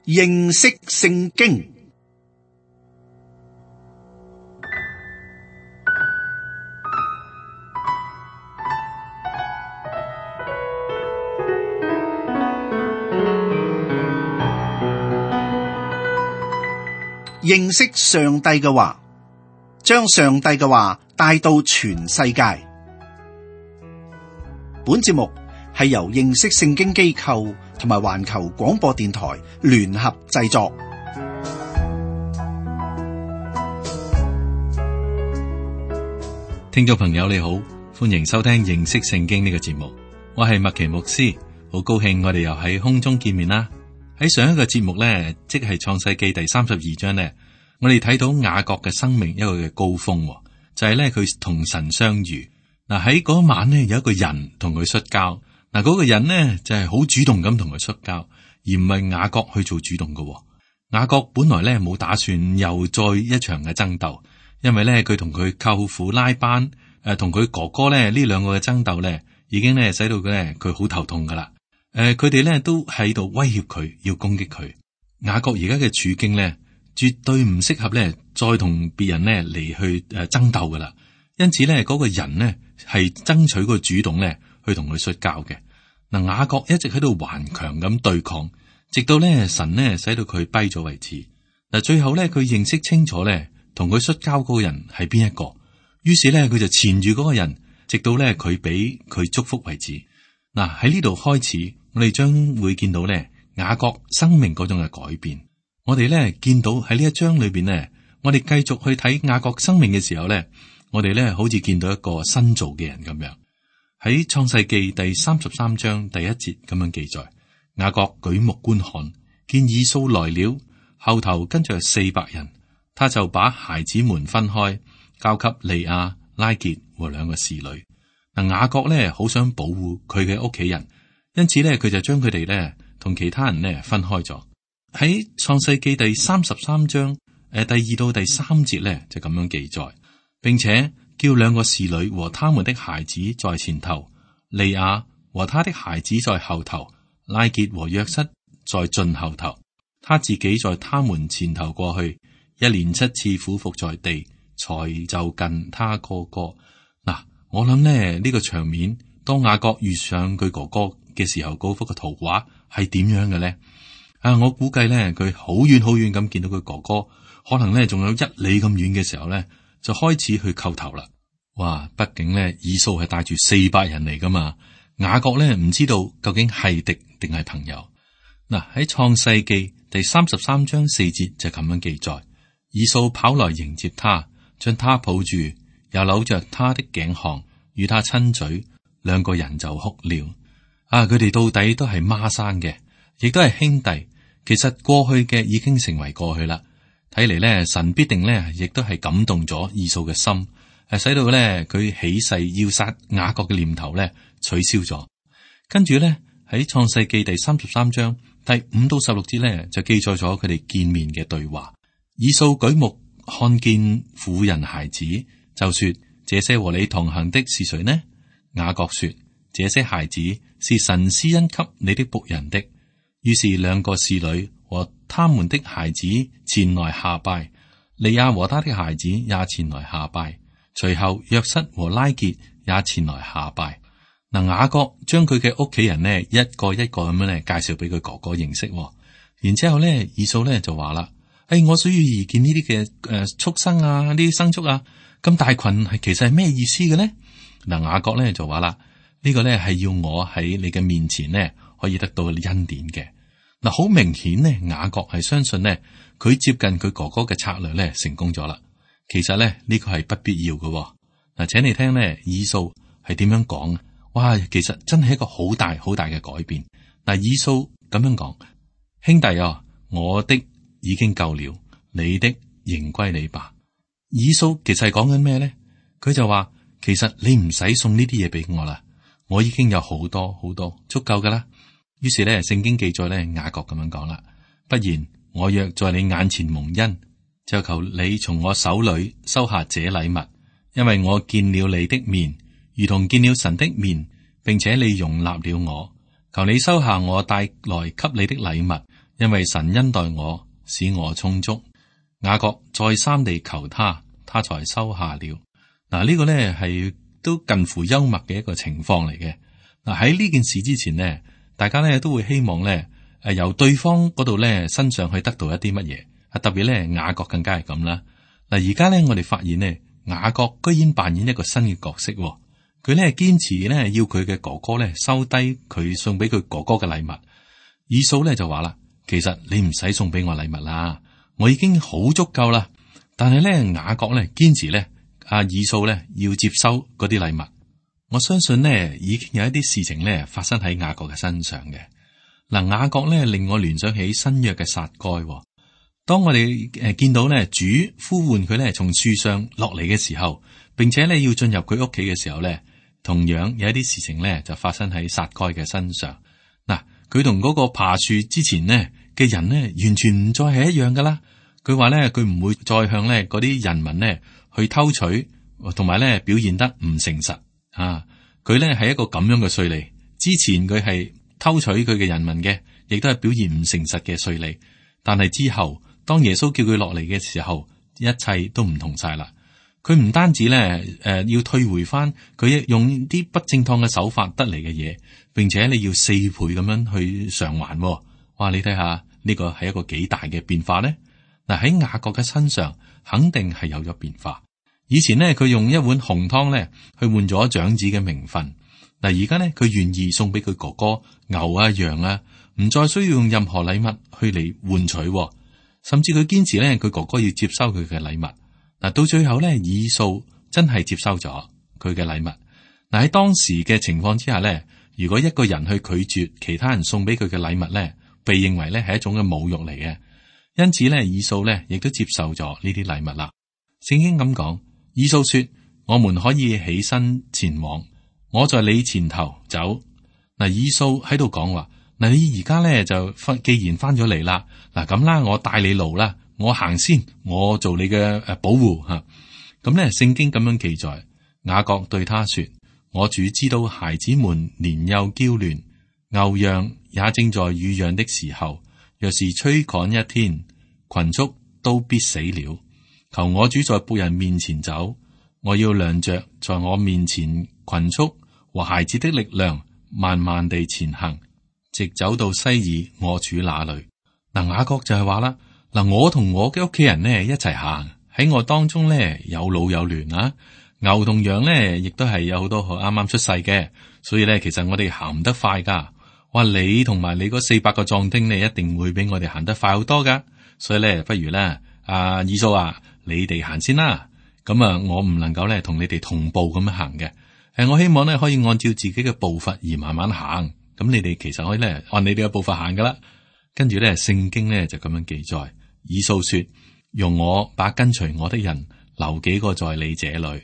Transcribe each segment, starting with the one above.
認識聖經。認識上帝嘅話，將上帝嘅話帶到全世界。本節目係由認識聖經機構同埋環球廣播電台聯合製作。聽眾朋友你好，歡迎收聽認識聖經呢個節目，我係麥奇牧師，好高興我哋又喺空中見面啦。喺上一個節目呢，即係創世記第32章呢，我哋睇到雅各嘅生命一個嘅高峰，就係呢，佢同神相遇。嗱，喺嗰晚呢，有一個人同佢摔跤，嗱，嗰個人呢，就係好主動咁同佢摔跤，而唔係雅各去做主動嘅。雅各本來呢，冇打算又再一場嘅爭鬥，因為呢，佢同佢舅父拉班同佢哥哥呢，呢兩個嘅爭鬥呢，已經呢，使到佢好頭痛噶啦。佢哋咧都喺度威脅佢，要攻擊佢。雅各而家嘅處境咧，絕對唔適合咧再同別人咧嚟去爭鬥噶啦。因此咧，嗰個人呢係爭取個主動咧去同佢摔跤嘅。嗱，雅各一直喺度頑強咁對抗，直到咧神呢使到佢跛咗為止。嗱，最後咧佢認識清楚咧同佢摔跤嗰個人係邊一個，於是咧佢就纏住嗰個人，直到咧佢俾佢祝福為止。嗱，喺呢度開始。我哋將會見到咧雅各生命嗰種嘅改變。我哋咧見到喺呢一章裏邊咧，我哋繼續去睇雅各生命嘅時候咧，我哋咧好似見到一個新造嘅人咁樣。喺創世記第33章第1節咁樣記載，雅各舉目觀看，見以掃來了，後頭跟着400人，他就把孩子們分開，交給利亞、拉結和2個侍女。嗱，雅各咧好想保護佢嘅屋企人。因此咧，佢就將佢哋咧同其他人咧分開咗。喺創世記第33章第2到第3節咧就咁樣記載，並且叫2個侍女和他們的孩子在前頭，利亞和他的孩子在後頭，拉結和約瑟在盡後頭，他自己在他們前頭過去，一連7次俯伏在地，才就近他哥哥。嗱，我諗呢，呢個場面，當雅各遇上佢哥哥嘅時候，嗰幅嘅圖畫係點樣嘅咧？我估計咧，佢好遠好遠咁見到佢哥哥，可能咧仲有1里咁遠嘅時候咧，就開始去叩頭啦。哇！畢竟咧，以掃係帶住400人嚟噶嘛，雅各咧唔知道究竟係敵定係朋友。嗱，喺創世記第33章4節就咁樣記載，以掃跑來迎接他，將他抱住，又摟着他的頸項，與他親嘴，2個人就哭了。佢哋到底都係孖生嘅，亦都係兄弟。其實過去嘅已經成為過去啦。睇嚟咧，神必定咧，亦都係感動咗以掃嘅心，使到咧佢起誓要殺雅各嘅念頭咧取消咗。跟住咧喺創世記第33章第5到16節咧就記載咗佢哋見面嘅對話。以掃舉目看見婦人孩子，就說：這些和你同行的是誰呢？雅各說：這些孩子是神施恩給你的僕人的。於是2個侍女和他們的孩子前來下拜，利亞和他的孩子也前來下拜，隨後約瑟和拉結也前來下拜。嗱，雅各將佢嘅屋企人呢一個一個咁樣咧介紹俾佢哥哥認識。然之後咧，以掃咧就話啦：我所遇見呢啲嘅畜生啊，呢啲牲畜啊，咁大群係其實係咩意思嘅咧？嗱，雅各咧就話啦。呢個咧係要我喺你嘅面前呢可以得到恩典嘅。嗱，好明顯呢，雅各係相信呢，佢接近佢哥哥嘅策略咧成功咗啦。其實咧呢個係不必要嘅。嗱，請你聽呢，以掃係點樣講？哇，其實真係一個好大好大嘅改變。嗱，以掃咁樣講：兄弟啊，我的已經夠了，你的仍歸你吧。以掃其實係講緊咩咧？佢就話：其實你唔使送呢啲嘢俾我啦。我已經有好多好多足夠噶啦。於是咧，聖經記載咧，雅各咁樣講啦：不然我若在你眼前蒙恩，就求你從我手裏收下這禮物，因為我見了你的面，如同見了神的面，並且你容納了我。求你收下我帶來給你的禮物，因為神恩待我，使我充足。雅各再三地求他，他才收下了。嗱，呢個呢係都近乎幽默嘅一個情況嚟嘅。嗱，喺呢件事之前呢，大家呢都會希望呢由對方嗰度呢身上去得到一啲乜嘢，特別呢雅各更加係咁啦。嗱，而家呢我哋發現呢，雅各居然扮演一個新嘅角色，佢呢堅持呢要佢嘅哥哥呢收低佢送俾佢哥哥嘅禮物。以掃呢就話啦，其實你唔使送俾我禮物啦，我已經好足夠啦。但係呢雅各呢堅持呢以掃呢要接收嗰啲禮物。我相信呢已經有一啲事情呢發生喺雅各嘅身上嘅。嗱，雅各呢令我聯想起新約嘅撒該。當我哋見到呢主呼喚佢呢從樹上落嚟嘅時候，並且呢要進入佢屋企嘅時候呢，同樣有一啲事情呢就發生喺撒該嘅身上。嗱，佢同嗰個爬樹之前呢嘅人呢完全唔再係一樣噶啦。佢話呢佢唔會再向呢嗰啲人民呢去偷取，同埋呢表現得唔誠實啊。佢呢係一個咁樣嘅稅吏，之前佢係偷取佢嘅人民嘅，亦都係表現唔誠實嘅稅吏。但係之後，當耶穌叫佢落嚟嘅時候，一切都唔同晒啦。佢唔單止咧，要退回翻佢用啲不正當嘅手法得嚟嘅嘢，並且你要4倍咁樣去償還。哇！你睇下呢個係一個幾大嘅變化呢？嗱，喺雅各嘅身上肯定係有咗變化。以前呢，佢用一碗紅湯咧去換咗長子嘅名分。嗱，而家呢，佢願意送俾佢哥哥牛啊羊啊，唔再需要用任何禮物去嚟換取。甚至佢堅持咧，佢哥哥要接收佢嘅禮物。嗱，到最後咧，以掃真係接收咗佢嘅禮物。嗱，喺當時嘅情況之下咧，如果一個人去拒絕其他人送俾佢嘅禮物咧，被認為咧係一種嘅侮辱嚟嘅。因此咧，以掃咧亦都接受咗呢啲禮物啦。聖經咁講，以掃說：我們可以起身前往，我在你前頭走。嗱，以掃喺度講話。嗱，你而家咧就既然翻咗嚟啦，嗱咁啦，我帶你路啦，我行先，我做你嘅保護吓。咁咧，聖經咁樣記載，雅各對他說：我主知道孩子們年幼嬌嫩，牛羊也正在乳養的時候，若是吹趕一天，群畜都必死了。求我主在僕人面前走，我要量着在我面前群畜和孩子的力量，慢慢地前行，直走到西珥我主那裏。嗱，雅各就係話啦，嗱，我同我嘅屋企人呢一齊行，喺我當中呢有老有嫩啊，牛同羊呢亦都係有好多啱啱出世嘅，所以呢其實我哋行唔得快噶。話你同埋你嗰400個壯丁呢，一定會比我哋行得快好多噶。所以呢，不如呢，以掃啊，你哋行先啦。咁啊，我唔能夠呢同你哋同步咁樣行嘅。我希望呢可以按照自己嘅步伐而慢慢行。咁你哋其實可以咧按你哋嘅步伐行噶啦。跟住咧，聖經咧就咁樣記載，以掃說：容我把跟隨我的人留幾個在你這裏。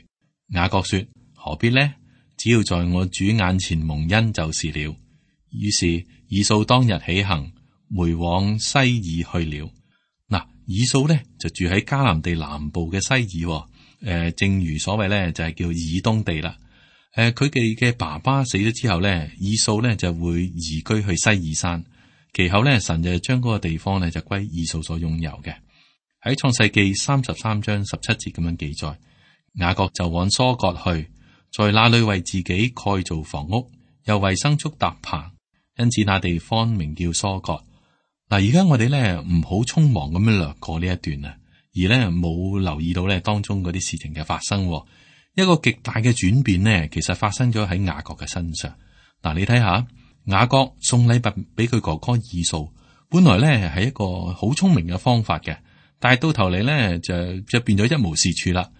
雅各說：何必呢？只要在我主眼前蒙恩就是了。於是以掃當日起行，回往西珥去了。嗱，以掃咧就住喺迦南地南部嘅西珥，正如所謂咧就係叫以東地啦。佢哋嘅爸爸死咗之後咧，以掃咧就會移居去西珥山。其後咧，神就將嗰個地方咧就歸以掃所擁有嘅。喺創世記33章17節咁樣記載，雅各就往疏割去，在那裏為自己蓋造房屋，又為牲畜搭棚，因此那地方名叫疏割。嗱，而家我哋咧唔好匆忙咁樣掠過呢一段啊，而咧冇留意到咧當中嗰啲事情嘅發生。一個極大嘅轉變呢，其實發生咗喺雅各嘅身上。嗱，你睇下，雅各送禮物俾佢哥哥以掃，本來咧係一個好聰明嘅方法嘅，但係到頭嚟咧就變咗一無是處啦。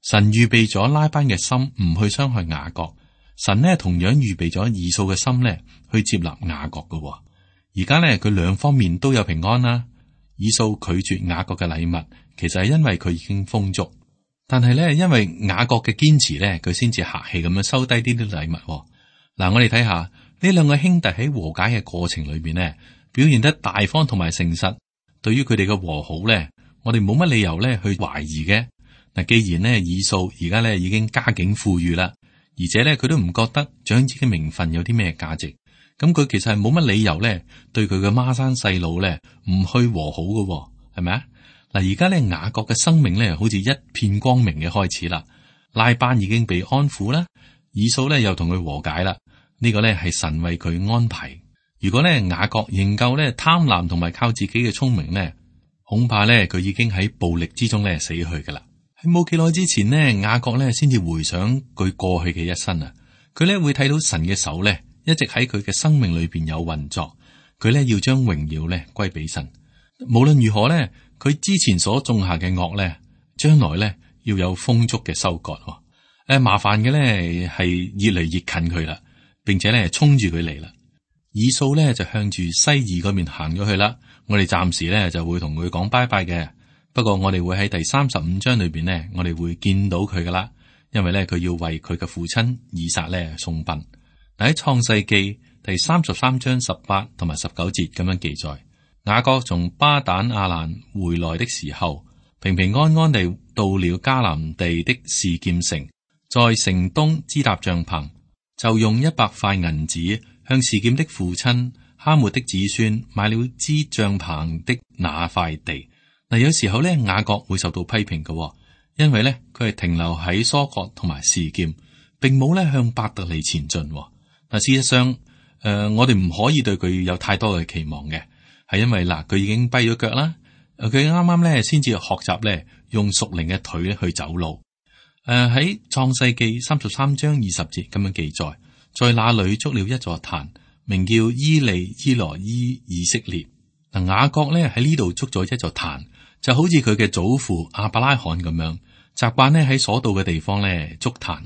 神預備咗拉班嘅心唔去傷害雅各，神呢同樣預備咗以掃嘅心咧去接納雅各嘅。而家咧佢兩方面都有平安啦。以掃拒絕雅各嘅禮物，其實係因為佢已經豐足。但係咧，因為雅各嘅堅持咧，佢先至客氣咁樣收低呢啲禮物。嗱，我哋睇下呢兩個兄弟喺和解嘅過程裏邊呢，表現得大方同埋誠實。對於佢哋嘅和好咧，我哋冇乜理由咧去懷疑嘅。嗱，既然呢以掃而家咧已經家境富裕啦，而且咧佢都唔覺得長子嘅名分有啲咩價值，咁佢其實係冇乜理由咧對佢嘅孖生細佬咧唔去和好嘅，係咪啊？嗱，而家咧雅各嘅生命咧好似一片光明嘅開始啦。拉班已經被安撫啦，以掃咧又同佢和解啦。呢個咧係神為佢安排。如果咧雅各仍舊咧貪婪同埋靠自己嘅聰明咧，恐怕咧佢已經喺暴力之中咧死去噶啦。喺冇幾耐之前呢，雅各咧先至回想佢過去嘅一生啊。佢咧會睇到神嘅手咧一直喺佢嘅生命裏邊有運作。佢咧要將榮耀咧歸俾神。無論如何咧，佢之前所種下嘅惡咧，將來咧要有豐足嘅收割。麻煩嘅咧係越嚟越近佢啦，並且咧衝住佢嚟啦。以掃咧就向住西珥嗰邊行咗去啦。我哋暫時咧就會同佢講拜拜嘅。不過我哋會喺第35章裏邊呢，我哋會見到佢噶啦，因為咧佢要為佢嘅父親以撒咧送殯。喺創世記第33章18同埋19節咁樣記載，雅各從巴旦亞蘭回來的時候，平平安安地到了迦南地的示劍城，在城東支搭帳篷，就用100塊銀子向示劍的父親哈末的子孫買了支帳篷的那塊地。嗱，有時候咧雅各會受到批評嘅，因為咧佢係停留喺疏割同埋示劍，並冇咧向伯特利前進。嗱，事實上，我哋唔可以對佢有太多嘅期望嘅，係因為嗱佢已經跛咗腳啦，佢啱啱咧先至學習咧用屬靈嘅腿咧去走路。喺創世記33章20節咁樣記載，在那裏築了一座壇，名叫伊利伊羅伊以色列。嗱，雅各咧喺呢度築咗一座壇，就好似佢嘅祖父亞伯拉罕咁樣，習慣咧喺所到嘅地方咧築壇。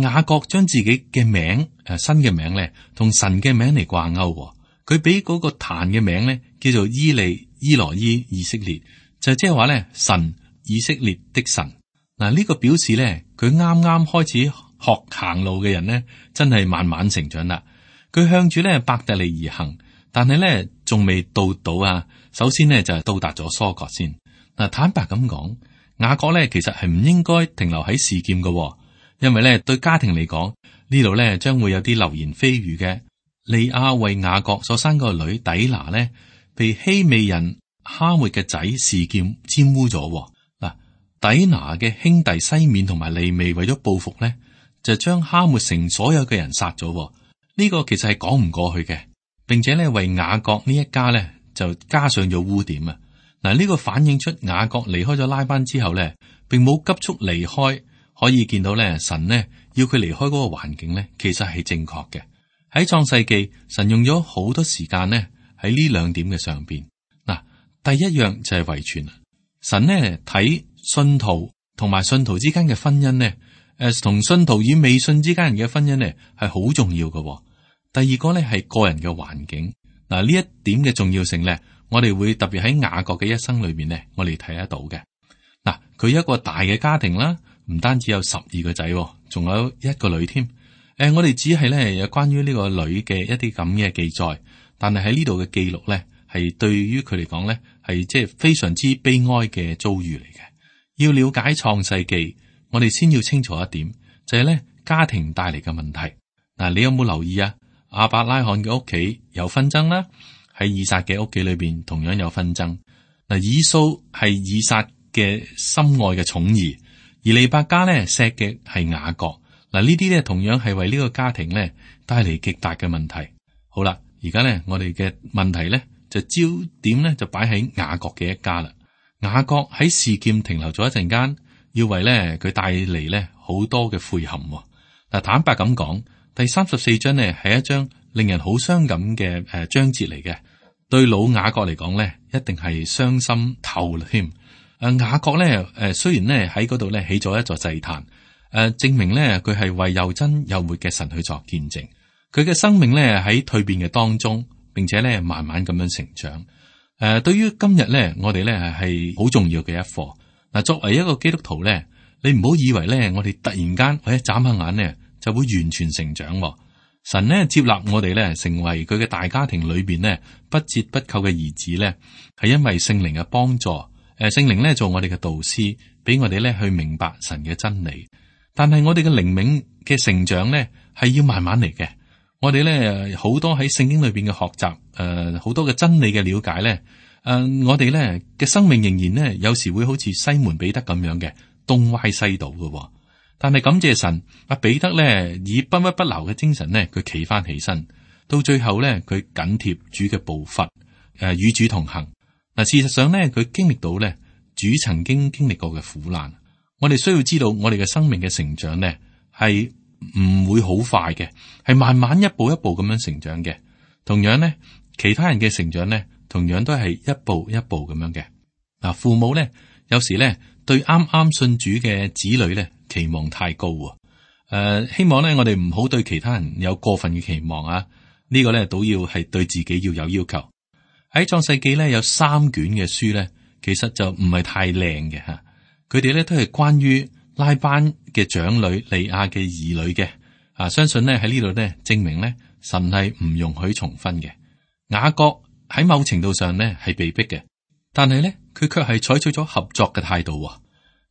雅各將自己嘅名新嘅名咧同神嘅名嚟掛鈎，佢俾嗰個壇嘅名咧叫做伊利伊羅伊以色列，就即係話咧神以色列的神。嗱，呢個表示咧佢啱啱開始學行路嘅人咧，真係慢慢成長啦。佢向住咧伯特利而行，但係咧仲未到啊。首先呢，就係到達咗疏割先。嗱，坦白咁講，雅各咧其實係唔應該停留喺示劍嘅，因為咧對家庭嚟講，呢度咧將會有啲流言蜚語嘅。利亞為雅各所生個女底拿咧，被希美人哈末嘅仔示劍玷污咗。嗱，底拿嘅兄弟西緬同埋利未為咗報復咧，就將哈末城所有嘅人殺咗。呢個其實係講唔過去嘅，並且咧為雅各呢一家咧就加上咗污點啊！嗱，呢個反映出雅各離開咗拉班之後咧，並冇急速離開，可以見到咧神呢要佢離開嗰個環境咧，其實係正確嘅。喺創世記，神用咗好多時間呢喺呢兩點嘅上邊。嗱，第一樣就係遺傳。神呢睇信徒同埋信徒之間嘅婚姻呢，同信徒與未信之間人嘅婚姻呢係好重要嘅。第二個呢係個人嘅環境。嗱，呢一點嘅重要性咧，我哋會特別喺雅各嘅一生裏邊咧，我哋睇得到嘅。嗱，佢一個大嘅家庭啦，唔單止有12個仔，仲有一個女添。我哋只係咧有關於呢個女嘅一啲咁嘅記載，但係喺呢度嘅記錄咧，係對於佢嚟講咧，係即係非常之悲哀嘅遭遇嚟嘅。要了解創世記，我哋先要清楚一點，就係咧家庭帶嚟嘅問題。嗱，你有冇留意啊？亞伯拉罕嘅屋企有紛爭啦，喺以撒嘅屋企裏邊同樣有紛爭。嗱，以掃係以撒嘅心愛嘅寵兒，而利百加咧錫嘅係雅各。嗱，呢啲咧同樣係為呢個家庭咧帶嚟極大嘅問題。好啦，而家咧我哋嘅問題咧就焦點咧就擺喺雅各嘅一家啦。雅各喺示劍停留咗一陣間，要為咧佢帶嚟咧好多嘅悔恨。嗱，坦白咁講，第34章呢係一章令人好傷感嘅章節嚟嘅。對老雅各嚟講咧，一定係傷心透啦添。雅各咧雖然咧喺嗰度咧起咗一座祭壇。證明咧佢係為又真又活嘅神去作見證，佢嘅生命咧喺蛻變嘅當中，並且咧慢慢咁樣成長。對於今日咧，我哋咧係好重要嘅一課。嗱，作為一個基督徒咧，你唔好以為咧我哋突然間或者眨下眼咧就會完全成長。神咧接納我哋咧成為佢嘅大家庭裏邊咧不折不扣嘅兒子咧，係因為聖靈嘅幫助。聖靈咧做我哋嘅導師，俾我哋咧去明白神嘅真理。但係我哋嘅靈命嘅成長咧，係要慢慢嚟嘅，我哋咧好多喺聖經裏邊嘅學習，好多嘅真理嘅了解咧，我哋咧嘅生命仍然咧有時會好似西門彼得咁樣嘅東歪西倒嘅。但係感謝神，阿彼得咧以不屈不撓嘅精神咧，佢企翻起身，到最後咧佢緊貼主嘅步伐，與主同行。嗱，事實上咧佢經歷到咧主曾經經歷過嘅苦難。我哋需要知道，我哋嘅生命嘅成長咧係唔會好快嘅，係慢慢一步一步咁樣成長嘅。同樣咧，其他人嘅成長咧，同樣都係一步一步咁樣嘅。嗱，父母咧有時咧對啱啱信主嘅子女咧期望太高啊。希望咧我哋唔好對其他人有過分嘅期望啊。呢個咧都要係對自己要有要求。喺創世記咧有3卷嘅書咧，其實就唔係太靚嘅吓。佢哋咧都係關於拉班嘅長女利亞嘅兒女嘅。相信咧喺呢度咧證明咧神係唔容許重婚嘅。雅各喺某程度上咧係被逼嘅，但係咧佢卻係採取咗合作嘅態度。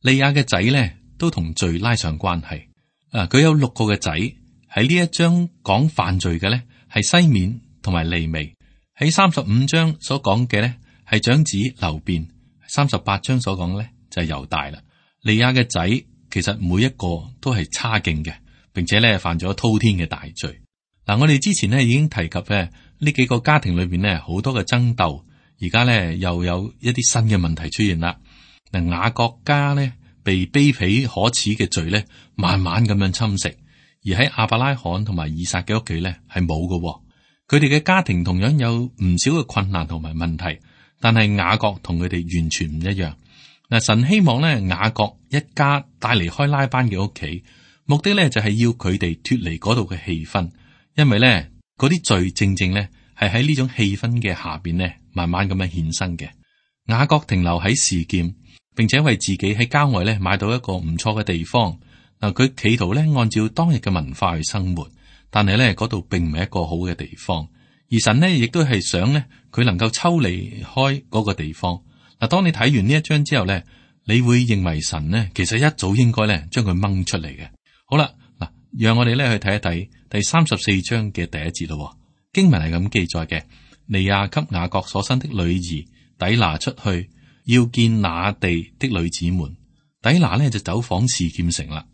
利亞嘅仔咧都同罪拉上關係。佢有6個嘅仔。喺呢一章講犯罪嘅咧係西緬同埋利未。喺35章所講嘅咧係長子流便。38章所講咧就係猶大啦。利亞嘅仔其實每一個都係差勁嘅，並且咧犯咗滔天嘅大罪。我哋之前咧已經提及咧呢幾個家庭裏邊咧好多嘅爭鬥，而家咧又有一啲新嘅問題出現啦。雅各家咧被卑鄙可恥嘅罪咧慢慢咁樣侵蝕，而喺亞伯拉罕同埋以撒嘅屋企咧係冇嘅。佢哋嘅家庭同樣有唔少嘅困難同埋問題，但係雅各同佢哋完全唔一樣。神希望咧雅各一家帶離開拉班嘅屋企，目的咧就係要佢哋脫離嗰度嘅氣氛，因為咧嗰啲罪正正咧係喺呢種氣氛嘅下邊咧慢慢咁樣衍生嘅。雅各停留喺示劍，並且為自己喺郊外咧買到一個唔錯嘅地方。佢企圖咧按照當日嘅文化去生活，但係咧嗰度並唔係一個好嘅地方。而神呢亦都係想咧佢能夠抽離開嗰個地方。當你睇完呢一章之後咧，你會認為神呢其實一早應該咧將佢掹出嚟嘅。好啦，讓我哋咧去睇一睇第34章嘅第1節咯。經文係咁記載嘅：利亞給雅各所生的女兒底拿出去，要見那地的女子們。底拿呢就走訪示劍城啦。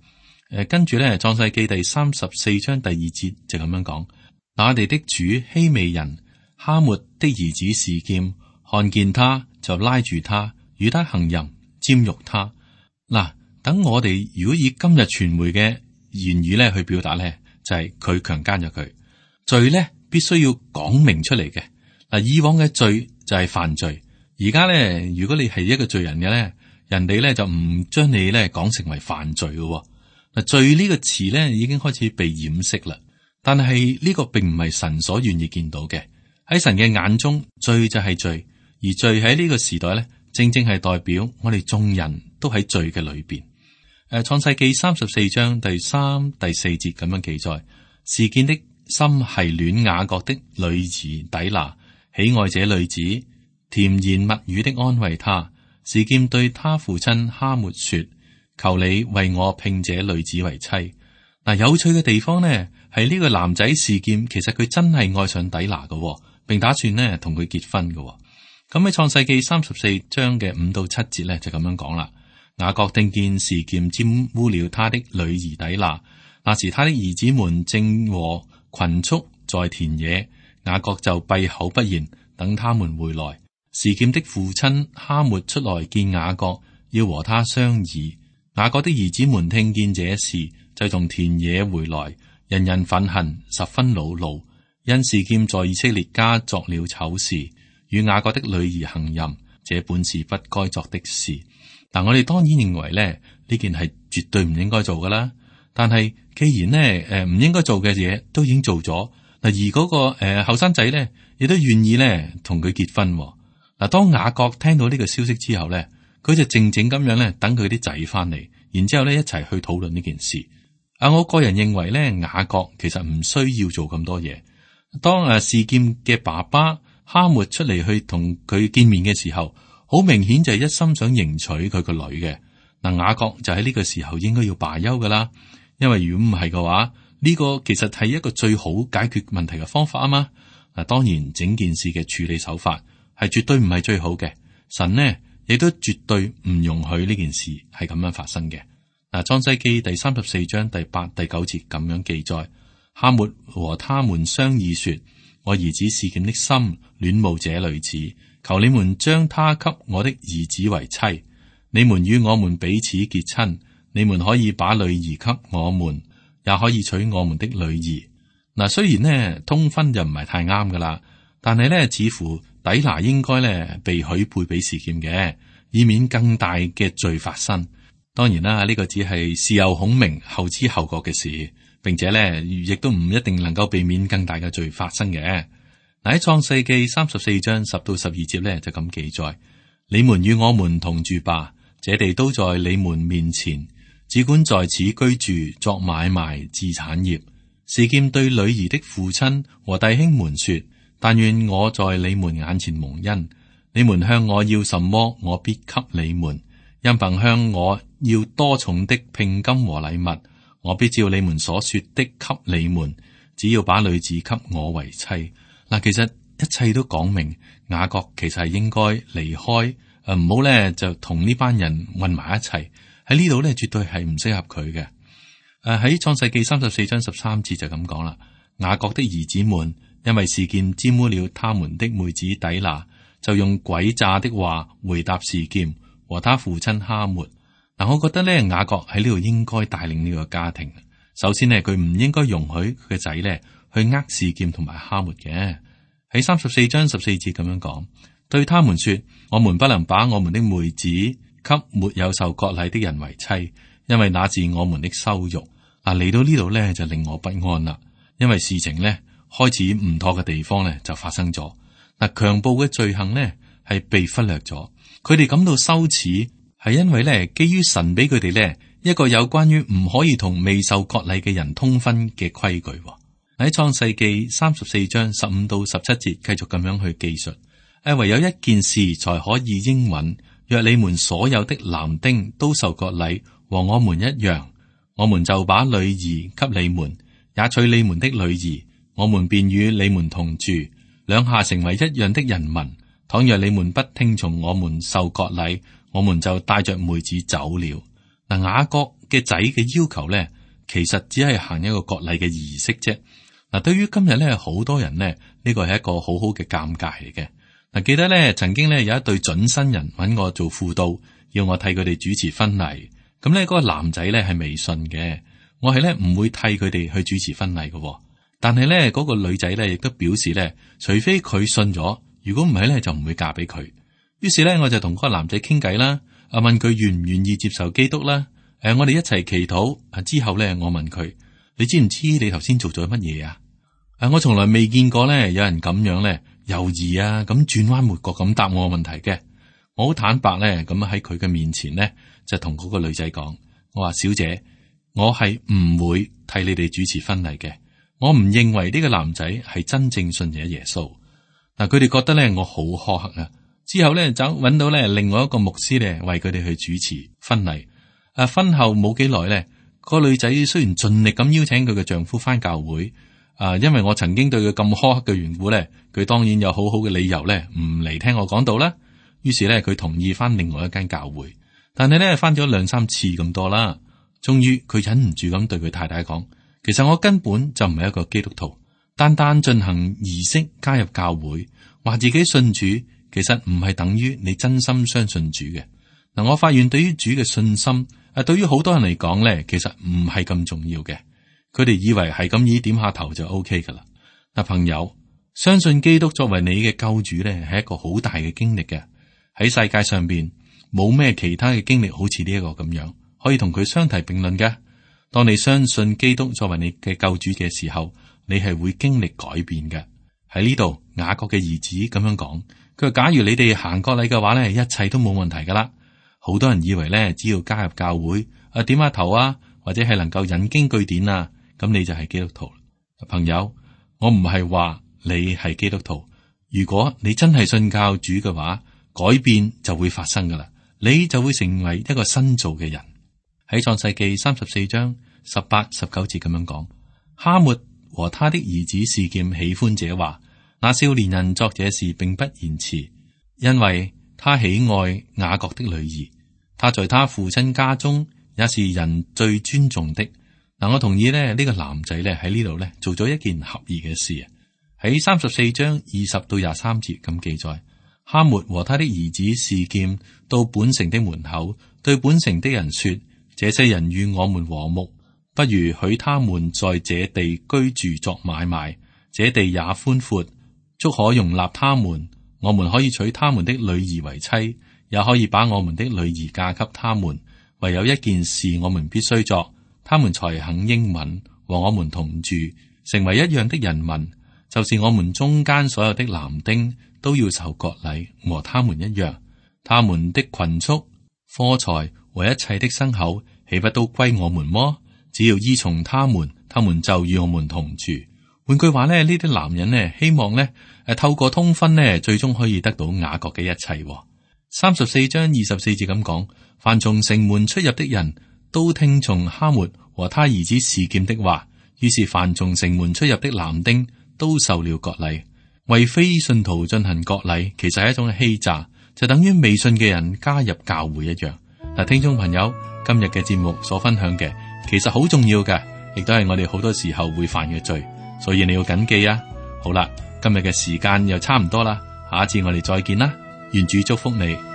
跟住咧創世記第34章第2節就咁樣講：那地的主希未人哈末的兒子示劍看見他，就拉住他，與他行淫，沾辱他。等我哋如果以今日傳媒嘅言語咧去表達咧，就係佢強姦咗佢。罪咧必須要講明出嚟嘅。以往嘅罪就係犯罪，而家咧如果你係一個罪人嘅咧，人哋咧就唔將你咧講成為犯罪嘅。罪呢個詞咧已經開始被掩飾啦，但係呢個並唔係神所願意見到嘅。喺神嘅眼中，罪就係罪，而罪喺呢個時代咧，正正係代表我哋眾人都喺罪嘅裏邊。創世記34章第3、第4節咁樣記載：示劍的心係戀雅各的女兒底拿，喜愛這女子，甜言蜜語的安慰他。示劍對他父親哈末說：求你為我聘這女子為妻。有趣嘅地方呢，係呢個男仔示劍，其實佢真係愛上底拿嘅，並打算呢同佢結婚嘅。咁喺創世記34章嘅5到7節呢，就咁樣講啦。雅各聽見示劍玷污了他的女兒底拿，那時他的兒子們正和群畜在田野，雅各就閉口不言，等他們回來。示劍的父親哈末出來見雅各，要和他商議。雅各的兒子們聽見這事，就從田野回來，人人憤恨，十分惱怒，因示劍在以色列家作了醜事，與雅各的女兒行淫，這本是不該作的事。我哋當然認為咧，呢件係絕對唔應該做噶啦。但係既然咧，唔應該做嘅嘢都已經做咗，而嗰個後生仔咧，亦都願意咧同佢結婚。當雅各聽到呢個消息之後咧，佢就靜靜咁樣咧等佢啲仔翻嚟，然之後咧一齊去討論呢件事。我個人認為咧，雅各其實唔需要做咁多嘢。當示劍嘅爸爸哈末出嚟去同佢見面嘅時候，好明顯就係一心想迎娶佢個女嘅。雅各就喺呢個時候應該要罷休噶啦，因為如果唔係嘅話，呢個其實係一個最好解決問題嘅方法啊嘛。嗱，當然整件事嘅處理手法係絕對唔係最好嘅。神呢亦都絕對唔容許呢件事係咁樣發生嘅。嗱，創世記第34章第8、第9節咁樣記載：哈抹和他們商議說，我兒子示劍的心戀慕這女子，求你們將她給我的兒子為妻。你們與我們彼此結親，你們可以把女兒給我們，也可以娶我們的女兒。嗱，雖然呢通婚就唔係太啱噶啦，但係呢似乎底拿應該呢被許配俾示劍嘅，以免更大嘅罪發生。當然啦，呢個只係事後孔明後知後覺嘅事，並且呢亦都唔一定能夠避免更大嘅罪發生嘅。嗱，喺創世記34章10到12節呢就咁記載：你們與我們同住吧，這地都在你們面前，只管在此居住，作買賣，置產業。示劍對女兒的父親和弟兄們說：但願我在你們眼前蒙恩，你們向我要什麼，我必給你們。因憑向我要多重的聘金和禮物，我必照你們所說的給你們。只要把女子給我為妻。嗱，其實一切都講明，雅各其實係應該離開，唔好咧就同呢班人混埋一齊。喺呢度咧，絕對係唔適合佢嘅。喺創世記34章13節就咁講啦。雅各的兒子們因為示劍沾污了他們的妹子底拿，就用詭詐的話回答示劍和他父親哈抹。嗱，我覺得咧，雅各喺呢度應該帶領呢個家庭。首先呢，佢唔應該容許佢嘅仔咧去呃示劍同埋哈抹嘅。喺34章14節咁樣講，對他們說：我們不能把我們的妹子給沒有受割禮的人為妻，因為那是我們的羞辱。嗱，嚟到呢度咧就令我不安啦，因為事情咧開始唔妥嘅地方咧就發生咗。嗱，強暴嘅罪行咧係被忽略咗，佢哋感到羞恥，係因為咧基於神俾佢哋咧一個有關於唔可以同未受割禮嘅人通婚嘅規矩。喺創世記34章15到17節繼續咁樣去記述，唯有一件事才可以應允，若你們所有的男丁都受割禮，和我們一樣，我們就把女兒給你們，也娶你們的女兒，我們便與你們同住，兩下成為一樣的人民。倘若你們不聽從我們受割禮，我們就帶着妹子走了。嗱，雅各嘅仔嘅要求咧，其實只係行一個割禮嘅儀式啫。嗱，對於今日咧，好多人咧，呢個係一個好好嘅尷尬嚟嘅。嗱，記得咧，曾經咧有一對準新人揾我做輔導，要我替佢哋主持婚禮。咁咧，嗰個男仔咧係未信嘅，我係咧唔會替佢哋去主持婚禮嘅。但係咧，嗰個女仔咧亦都表示咧，除非佢信咗，如果唔係咧就唔會嫁俾佢。於是咧，我就同嗰個男仔傾偈啦，問佢願唔願意接受基督啦。我哋一齊祈禱。之後咧，我問佢：你知唔知你頭先做咗乜嘢啊？我從來未見過咧有人咁樣咧猶豫啊，咁轉彎抹角咁答我問題嘅。我好坦白咧，咁喺佢嘅面前咧就同嗰個女仔講：我話小姐，我係唔會替你哋主持婚禮嘅。我唔認為呢個男仔係真正信咗耶穌。嗱，佢哋覺得咧我好苛刻啊。之後咧就揾到咧另外一個牧師咧為佢哋去主持婚禮。婚後冇幾耐咧，個女仔雖然盡力咁邀請佢嘅丈夫返教會。因為我曾經對佢咁苛刻嘅緣故咧，佢當然有好好嘅理由咧，唔嚟聽我講道啦。於是咧，佢同意翻另外一間教會，但係咧翻咗2-3次咁多啦。終於佢忍唔住咁對佢太太講：其實我根本就唔係一個基督徒，單單進行儀式加入教會，話自己信主，其實唔係等於你真心相信主嘅。嗱，我發現對於主嘅信心，對於好多人嚟講咧，其實唔係咁重要嘅。佢哋以為係咁意點下頭就 OK 噶啦。嗱，朋友，相信基督作為你嘅救主咧，係一個好大嘅經歷嘅。喺世界上邊冇咩其他嘅經歷好似呢一個咁樣，可以同佢相提並論嘅。當你相信基督作為你嘅救主嘅時候，你係會經歷改變嘅。喺呢度，雅各嘅兒子咁樣講，佢話假如你哋行割禮嘅話咧，一切都冇問題噶啦。好多人以為咧，只要加入教會點下頭啊，或者係能夠引經據典啊，咁你就係基督徒。朋友，我唔係話你係基督徒，如果你真係信教主嘅話，改變就會發生噶啦，你就會成為一個新造嘅人。喺創世記34章18、19節咁樣講：哈末和他的兒子示劍喜歡這話，那少年人作這事並不延遲，因為他喜愛雅各的女兒，他在他父親家中也是人最尊重的。嗱，我同意呢個男仔咧喺呢度咧做咗一件合宜嘅事啊。喺34章20到23節咁記載，哈末和他的兒子示劍到本城的門口，對本城的人說：這些人與我們和睦，不如許他們在這地居住作買賣，這地也寬闊，足可容納他們。我們可以娶他們的女兒為妻，也可以把我們的女兒嫁給他們。唯有一件事我們必須作，他們才肯應允和我們同住，成為一樣的人民，就是我們中間所有的男丁都要受割禮，和他們一樣。他們的群畜、貨財和一切的牲口，豈不都歸我們麼？只要依從他們，他們就與我們同住。換句話呢，呢啲男人呢，希望呢透過通婚呢，最終可以得到雅各嘅一切。34章24節咁講，凡從城門出入的人都聽從哈末和他兒子示劍的話，於是凡從城門出入的男丁都受了割禮。為非信徒進行割禮，其實係一種欺詐，就等於未信嘅人加入教會一樣。嗱，聽眾朋友，今日嘅節目所分享嘅，其實好重要嘅，亦都係我哋好多時候會犯嘅罪，所以你要謹記啊。好啦，今日嘅時間又差唔多啦，下一次我哋再見啦，願主祝福你。